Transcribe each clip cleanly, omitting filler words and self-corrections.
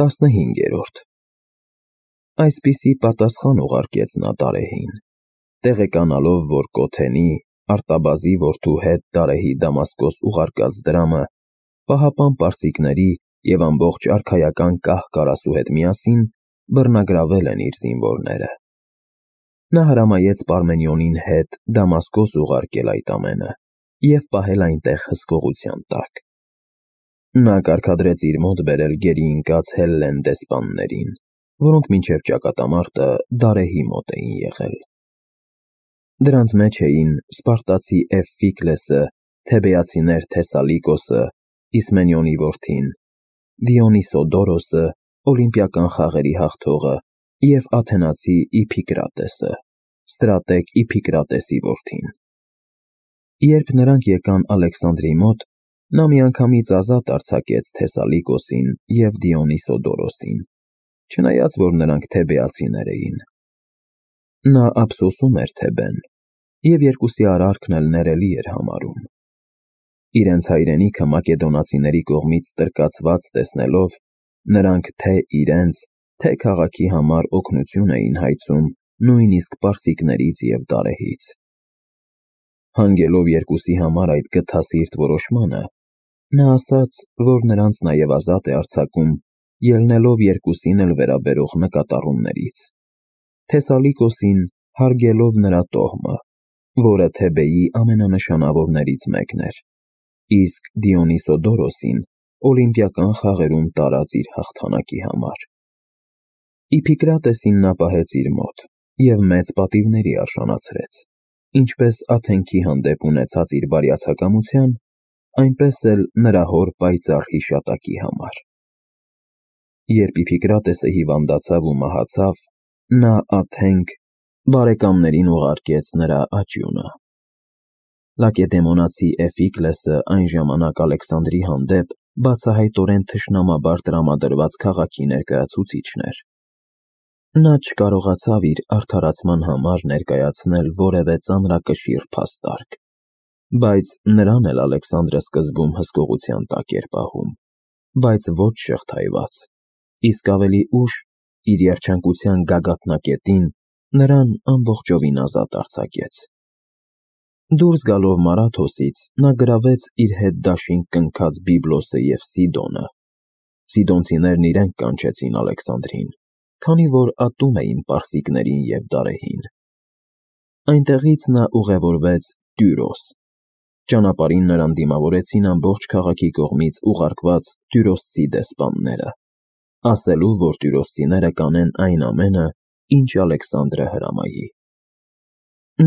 15-րդ Այսպիսի պատասխան ուղարկեց նա Դարեհին, տեղեկանալով, որ Կոթենի, Արտաբազի որդու հետ Դարեհի Դամասկոս ուղարկած դրամը պահապան պարսիկների և ամբողջ արքայական կահ-կարասու հետ միասին բռնագրավել են իր զինվորները։ Նա հրամայեց Պարմենիոնին հետ Դամասկոս ուղարկել այդ ամենը և պահել այնտեղ հսկողության տակ։ Նա կարգադրեց իր մոտ բերել գերի ընկած Հելլեն դեսպաններին, որոնք մինչև ճակատամարտը Դարեհի մոտ էին եղել։ Դրանց մեջ էին սպարտացի Էվֆիկլեսը, թեբեացիներ Թեսալիկոսը, Իսմենիոնի որդին, Դիոնիսոդորոսը, օլիմպիական խաղերի հաղթողը և աթենացի Իփիկրատեսը, ստրատեգ Իփիկրատեսի որդին։ Երբ նրանք եկան Ալեքսանդրի մոտ, նա միանգամից ազատ արձակեց Թեսալիկոսին և Դիոնիսոդորոսին, չնայած որ նրանք թեբեացիներ էին։ Նա ափսոսում էր Թեբեն, և երկուսի արարքն էլ ներելի էր համարում։ Իրենց հայրենիքը մակեդոնացիների կողմից տրկացված տեսնելով, նրանք թե իրենց, թե քաղաքի համար օգնություն էին հայցում նույնիսկ պարսիկներից և Դարեհից։ Հանգելով երկուսի համար այդ գթասիրտ որոշմանը, նա ասաց, որ նրանց նաև ազատ է արձակում, ելնելով երկուսին էլ վերաբերող նկատառումներից, Թեսալիկոսին հարգելով նրա տոհմը, որը Թեբեի ամենանշանավորներից մեկն էր, իսկ Դիոնիսոդորոսին օլիմպիական խաղերում տարած իր հաղթանակի համար։ Իփիկրատեսին նա պահեց իր մոտ և մեծ պատիվների արժանացրեց, ինչպես Աթենքի հանդեպ ունեցած իր բարյացակամության, այնպես էլ նրա հոր պայծառ հիշատակի համար։ Երբ Իփիկրատեսը հիվանդացավ ու մահացավ, նա Աթենք բարեկամներին ուղարկեց նրա աճյունը։ Լակեդեմոնացի Էվֆիկլեսը այն ժամանակ Ալեքսանդրի հանդեպ բացահայտորեն թշնամաբար տրամադրված քաղաքի ներկայացուցիչն էր։ Նա չկարողացավ իր արդարացման համար ներկայացնել որևէ ծանրակշիռ փաստարկ, բայց նրան էլ Ալեքսանդրը սկզբում հսկողության տակ էր պահում, բայց ոչ շղթայված, իսկ ավելի ուշ, իր երջանկության գագաթնակետին, նրան ամբողջովին ազատ արձակեց։ Դուրս գալով Մարաթոսից, նա գրավեց իր հետ դաշինք կնքած Բիբլոսը և Սիդոնը։ Սիդոնցիներն իրենք կանչեցին Ալեքսանդրին, քանի որ ատում էին պարսիկներին և Դարեհին։ Այնտեղից նա ուղևորվեց Տյուրոս։ Ճանապարհին նրան դիմավորեցին ամբողջ քաղաքի կողմից ուղարկված տյուրոսցի դեսպանները, ասելու, որ տյուրոսցիները կանեն այն ամենը, ինչ Ալեքսանդրը հրամայի։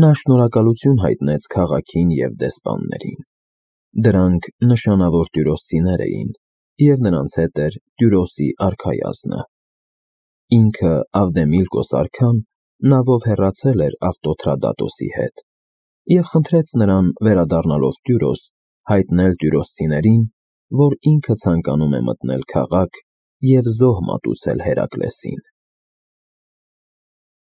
Նա շնորհակալություն հայտնեց քաղաքին և դեսպաններին։ Դրանք նշանավոր տյուրոսցիներ էին, և նրանց հետ էր Տյուրոսի արքայազնը։ Ինքը Ավդեմիլկոս արքան նավով հեռացել էր Ավտոթրադատոսի հետ և խնդրեց նրան, վերադառնալով Տյուրոս, հայտնել տյուրոսցիներին, որ ինքը ցանկանում է մտնել քաղաք և զոհ մատուցել Հերակլեսին։